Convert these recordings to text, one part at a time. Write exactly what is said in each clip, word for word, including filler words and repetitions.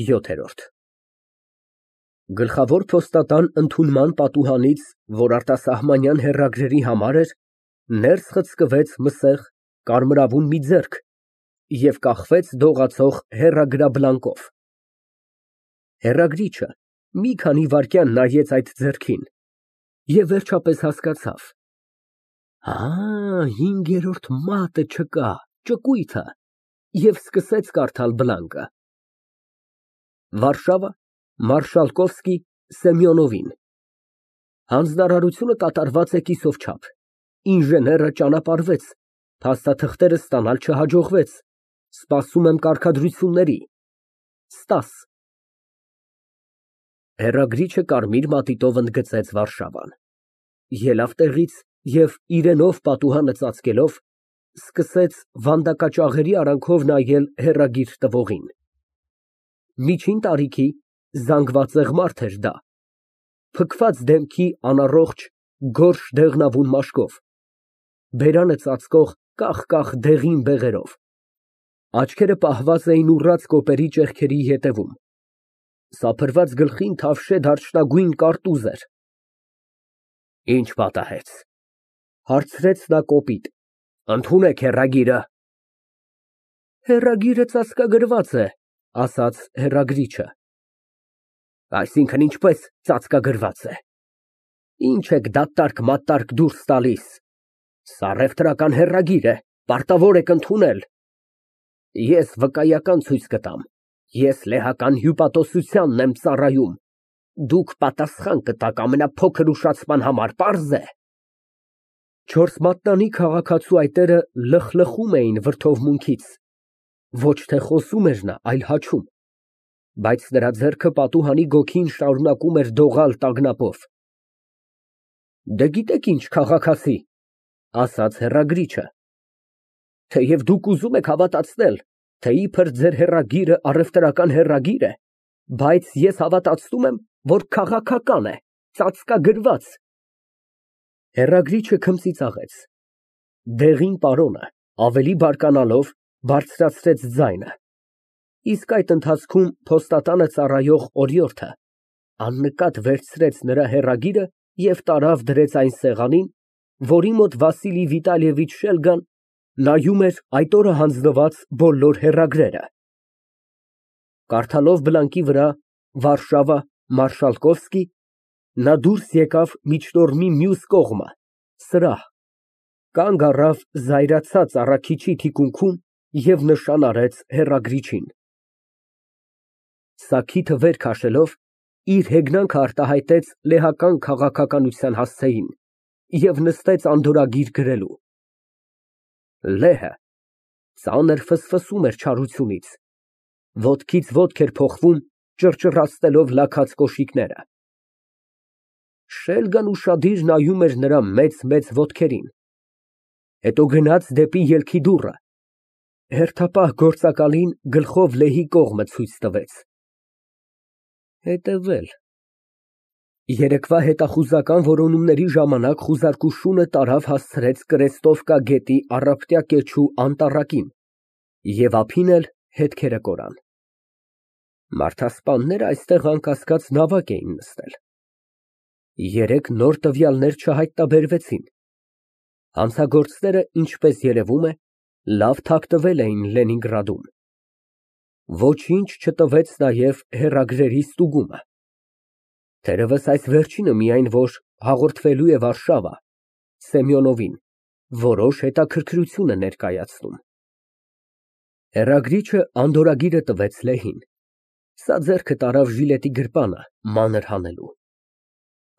ՅՈԹԵՐՈՐԴ Գլխավոր փոստատան ընդունման պատուհանից, որ արտասահմանյան հեռագրերի համար էր, ներս խցկվեց մսեղ, կարմրավուն մի ձեռք և կախվեց դողացող հեռագրաբլանկով։ Հեռագրիչը մի քանի վայրկյան նայեց այդ ձեռքին և վերջապես հասկացավ. «Ա, հինգերորդ մատը չկա, ճկույթ է» և սկսեց կարդալ բլանկը. Վարշավա, Մարշալկովսկի, Սեմյոնովին։ Հանձնարարությունը կատարված է կիսով չափ, ինժեները ճանապարհվեց, փաստաթղթերը ստանալ չհաջողվեց, սպասում եմ կարգադրությունների։ Ստաս։ Հեռագրիչը կարմիր մատիտով ընդգծեց Վարշավան, ելավ տեղից և իրենով պատուհանը ծածկելով, սկսեց վանդակաճաղերի արանքով նայել հեռագիր տվողին։ Միջին տարիքի, զանգվածեղ մարդ էր դա, փքված դեմքի, անառողջ, գորշ դեղնավուն մաշկով, բերանը ծածկող կախ դեղին բեղերով, աչքերը պահված էին ուռած կոպերի ճեղքերի ետևում, սափրված գլխին թավշե դարչնագույն կարտուզ էր։ «Ի՞նչ պատահեց» ֊ հարցրեց նա կոպիտ։ «Ընդունեք հեռագիրը»։ Հեռագիրը ծածկագրված է, ասաց հեռագրիչը։ Այսինքն՝ ինչպես ծածկագրված է։ Ինչ եք դատարկ֊մատարկ դուրս տալիս, սա առևտրական հեռագիր է, պարտավոր եք ընդունել։ Ես վկայական ցույց կտամ, ես լեհական հյուպատոսությանն եմ ծառայում, դուք պատասխան կտաք ամենափոքր ուշացման համար, պարզ է։ Չորս մատնանի քաղաքացու այտերը լխլխում էին վրդովմունքից, ոչ թե խոսում էր նա, այլ հաչում, բայց նրա ձեռքը պատուհանի գոգին շարունակում էր դողալ տագնապով։ Դե, գիտեք ինչ, քաղաքացի, ասաց հեռագրիչը, թեև դուք ուզում եք հավատացնել, թե իբր ձեր հեռագիրը առևտրական հեռագիր է, բայց ես հավատացնում եմ, որ քաղաքական է, ծածկագրված։ Հեռագրիչը քմծիծաղեց, դեղին պարոնը ավելի բարկանալով, բարձրացրեց ձայնը, իսկ այդ ընթացքում փոստատանը ծառայող օրիորդը աննկատ վերցրեց նրա հեռագիրը և տարավ դրեց այն սեղանին, որի մոտ Վասիլի Վիտալիևիչ Շելգան նայում էր այդ օրը հանձնված բոլոր հեռագրերը։ Կարդալով բլանկի վրա «Վարշավա, Մարշալկովսկի», նա դուրս եկավ միջտորմի մյուս կողմը, սրահ, կանգ առավ զայրացած առաքիչի թիկունքում և նշան արեց հեռագրիչին։ Սաքիթը վեր քաշելով, իր հեգնանքն արտահայտեց լեհական քաղաքականության հասցեին և նստեց անդորրագիր գրելու։ Լեհը ծանր ֆսֆսում էր չարությունից, ոտքից ոտք էր փոխվում, ճռճռացնելով լաքած կոշիկները։ Շելգան ուշադիր նայում էր նրա մեծ֊մեծ ոտքերին, հետո գնաց դեպի ելքի դուռը, հերթապահ գործակալին գլխով լեհի կողմը ցույց տվեց։ Հետևել։ Երեկվա հետախուզական որոնումների ժամանակ խուզարկուշունը տարավ հասցրեց Կրեստովկա գետի առափտյա կեչու անտառակին և ափին էլ հետքերը կորան։ Մարդասպանները այստեղ անկասկած նավակ էին նստել։ Երեկ նոր տվյալներ չհայտնաբերվեցին։ Հանցագործները, ինչպես երևում է, լավ թաքնվել էին Լենինգրադում։ Ոչինչ չտվեց նաև հեռագրերի ստուգումը։ Թերևս այս վերջինը միայն որ հաղորդվելու է Վարշավա, Սեմյոնովին, որոշ հետաքրքրություն է ներկայացնում։ Հեռագրիչը անդորրագիրը տվեց լեհին, սա ձեռքը տարավ ժիլետի գրպանը մանր հանելու։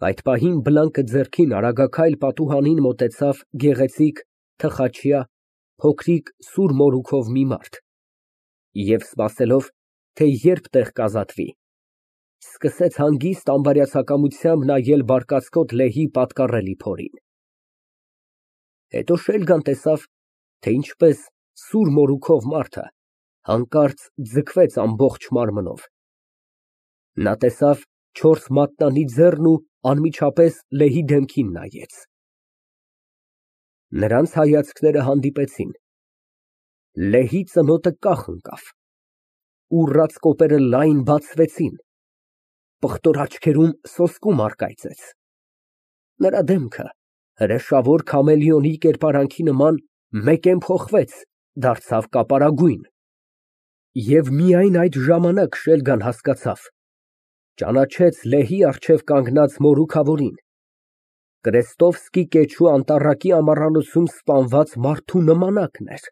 Այդ պահին բլանկը ձեռքին արագաքայլ պատուհանին մոտեցավ գեղեցիկ, թխաչյա, փոքրիկ սուր մորուքով մի մարդ և, սպասելով, թե երբ տեղ կազատվի, սկսեց հանգիստ անբարյացակամությամբ նայել բարկացկոտ լեհի պատկառելի փորին։ Հետո Շելգան տեսավ, թե ինչպես սուր մորուքով մարդը հանկարծ ձգվեց ամբողջ մարմնով։ Նա տեսավ չորս մատնանի ձեռն ու անմիջապես լեհի դեմքին նայեց։ Նրանց հայացքները հանդիպեցին, լեհի ծնոտը կախ ընկավ։ ուռած կոպերը լայն բացվեցին, պղտոր աչքերում սոսկում առկայծեց։ Նրա դեմքը հրեշավոր քամելիոնի կերպարանքի նման մեկեն փոխվեց, դարձավ կապարագույն։ Եվ միայն այդ ժամանակ Շելգան հասկացավ, ճանաչեց լեհի առջև կանգնած մորուքավորին, Կրեստովսկի կեչու անտառակի ամառանոցում սպանված մարդու նմանակն էր։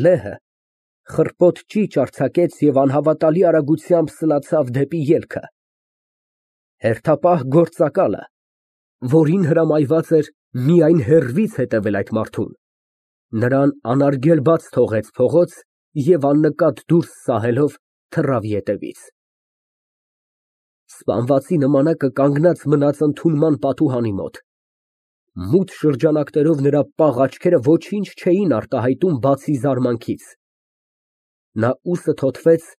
Լեհը խռպոտ ճիչ արձակեց և անհավատալի արագությամբ սլացավ դեպի ելքը։ Հերթապահ գործակալը, որին հրամայված էր միայն հեռվից հետևել այդ մարդուն, նրան անարգել բաց թողեց փողոց և աննկատ դուրս սահելով թռավ ետևից։ Սպանվածի նմանակը կանգնած մնաց ընդունման պատուհանի մոտ։ Մութ շրջանակներով նրա պաղ աչքերը ոչինչ չէին արտահայտում, բացի զարմանքից։ Նա ուսը թոթվեց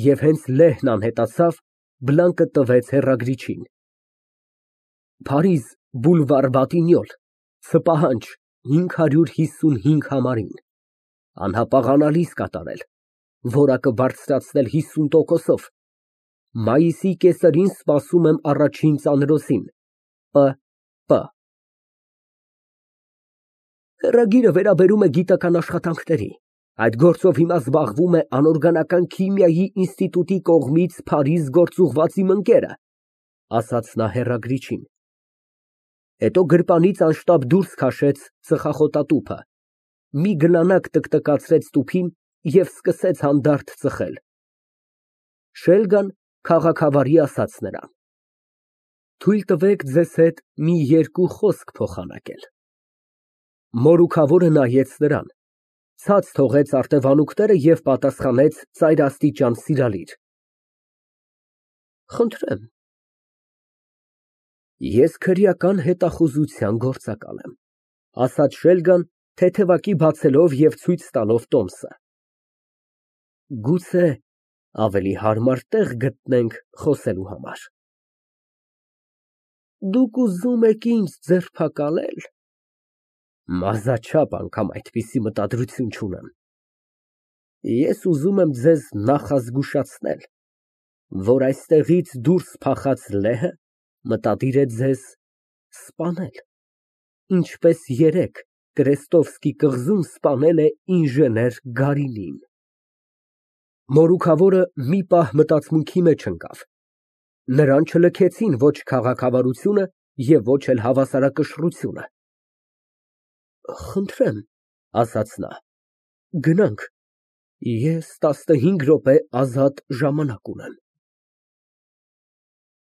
և հենց լեհն անհետացավ, բլանկը տվեց հեռագրիչին։ Փարիզ, բուլվար Բատինյոլ, ցպահանջ հինգ հարյուր հիսունհինգ համարին։ Անհապաղանալից կատարել, որակը բարձրացնել հիսուն տոկոսով։ Մայիսի կեսերին սպասում եմ առաջին ծանրոցին։ Պ. Պ. Հեռագիրը վերաբերում է գիտական աշխատանքների։ Այդ գործով հիմա զբաղվում է անօրգանական քիմիայի ինստիտուտի կողմից Փարիզ գործուղված իմ ընկերը, ասաց նա հեռագրիչին։ Հետո գրպանից անշտապ դուրս քաշեց ծխախոտատուփը, մի գլանակ տկտկացրեց տուփին և սկսեց հանդարտ ծխել։ Շելգան քաղաքավարի ասաց նրան. Թույլ տվեք ձեզ հետ մի երկու խոսք փոխանակել։ Մորուքավորը նայեց նրան, ցած թողեց արտևանուկները և պատասխանեց ծայրաստիճան սիրալիր. Խնդրեմ։ Ես քրեական հետախուզության գործակալ եմ, ասաց Շելգան, թեթևակի բացելով և ցույց տալով տոմսը։ Գուցե ավելի հարմար տեղ գտնենք խոսելու համար։ Դուք ուզում եք ինձ ձերբակալե՞լ։ Մազաչափ անգամ այդպիսի մտադրություն չունեմ։ Ես ուզում եմ ձեզ նախազգուշացնել, որ այստեղից դուրս փախած լեհը մտադիր է ձեզ սպանել, ինչպես երեկ Կրեստովսկի կղզում սպանել է ինժեներ Գարինին։ Մորուքավորը մի պահ մտածմունքի մեջ ընկավ։ Նրան չլքեցին ոչ քաղաքավարությունը և ոչ էլ հավասարակշռությունը։ Խնդրեմ, ասաց նա, գնանք, ես տասնհինգ րոպե ազատ ժամանակ ունեմ։